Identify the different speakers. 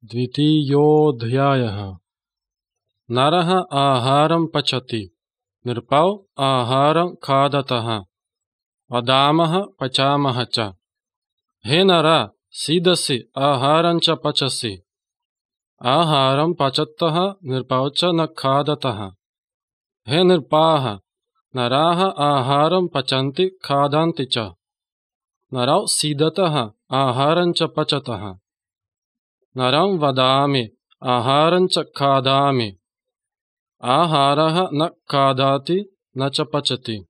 Speaker 1: द्वितीयोऽध्यायः। नरः आहारं पचति, नृपौ आहारं खादतः, वदामः पचामः च। हे नर, सीदसि आहारं च पचसि, आहारं पचतः नृपौ च न खादतः। हे नृपाः, नराः आहारं पचन्ति खादन्ति च, नरौ सीदतः आहारं च पचतः। नरं वदामि आहारं च खादामि, आहारः न खादति न च पचति।